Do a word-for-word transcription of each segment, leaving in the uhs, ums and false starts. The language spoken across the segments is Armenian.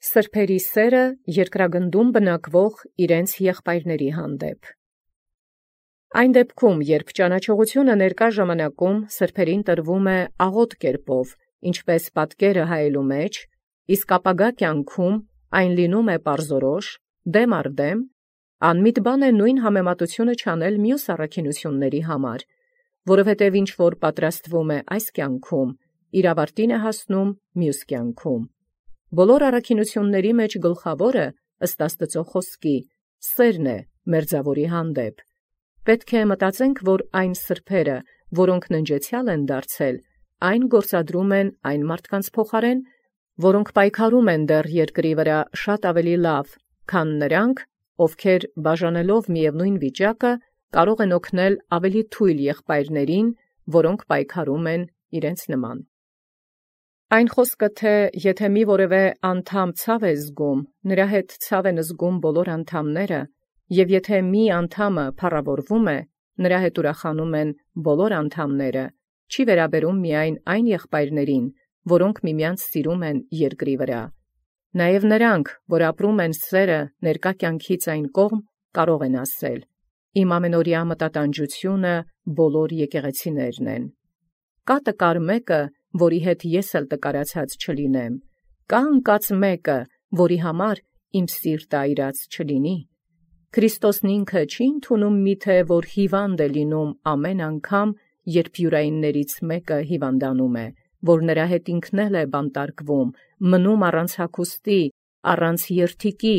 Սրբերի սերը երկրագնդում բնակվող իրենց եղբայրների հանդեպ։ Այն դեպքում, երբ ճանաչողությունը ներկա ժամանակում սրբերին տրվում է աղոտ կերպով, ինչպես պատկերը հայելու մեջ, իսկ ապագա կյանքում այն լինում է պարզորոշ, դեմ առ դեմ, անմիտ բան է նույն համեմատությունը չանել մյուս առաքինությունների համար, որովհետև ինչ որ պատրաստվում է այս կյանքում, իր ավարտին է հասնում մյուս կյանքում։ Բոլոր առաքինությունների մեջ գլխավորը, ըստ Աստծո խոսքի, սերն է մերձավորի հանդեպ։ Պետք է մտածենք, որ այն սրբերը, որոնք ննջեցյալ են դարձել, այն գործադրում են այն մարդկանց փոխարեն, որոնք պայքարում են դեռ երկրի վրա շատ ավելի լավ, քան նրանք, ովքեր բաժանելով միևնույն վիճակը, կարող են օգնել ավելի թույլ եղբայրներին, որոնք պայքարում են իրենց նման։ Այն խոսքը, թե եթե մի որևէ անդամ ցավ է զգում, նրա հետ ցավ են զգում բոլոր անդամները, և եթե մի անդամը փառավորվում է, նրա հետ ուրախանում են բոլոր անդամները, չի վերաբերում միայն այն եղբայրներին, որոնք միմյանց սիրում են երկրի վրա։ Նաև նրանք, որ ապրում են սերը ներկա կյանքից այն կողմ, կարող են ասել. «Իմ ամենօրյա մտատանջությունը բոլոր եկեղեցիներն են»։ Կա տկար մեկը, որի հետ ես էլ տկարացած չլինեմ, կա անկած մեկը, որի համար իմ սիրտը այրած չլինի։ Քրիստոսն ինքը չի ընդունում միթե, որ հիվանդ է լինում ամեն անգամ, երբ յուրայիններից մեկը հիվանդանում է, որ նրա հետ ինքն էլ է բանտարկվում, մնում առանց հագուստի, առանց երթիկի,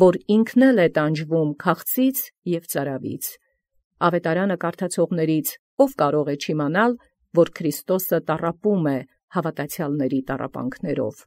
որ ինքն էլ է տանջվում քաղցից և ծարավից։ Ավետարանը կարդացողներից ով կարող է չիմանալ, որ Քրիստոսը տառապում է հավատացյալների տառապանքներով։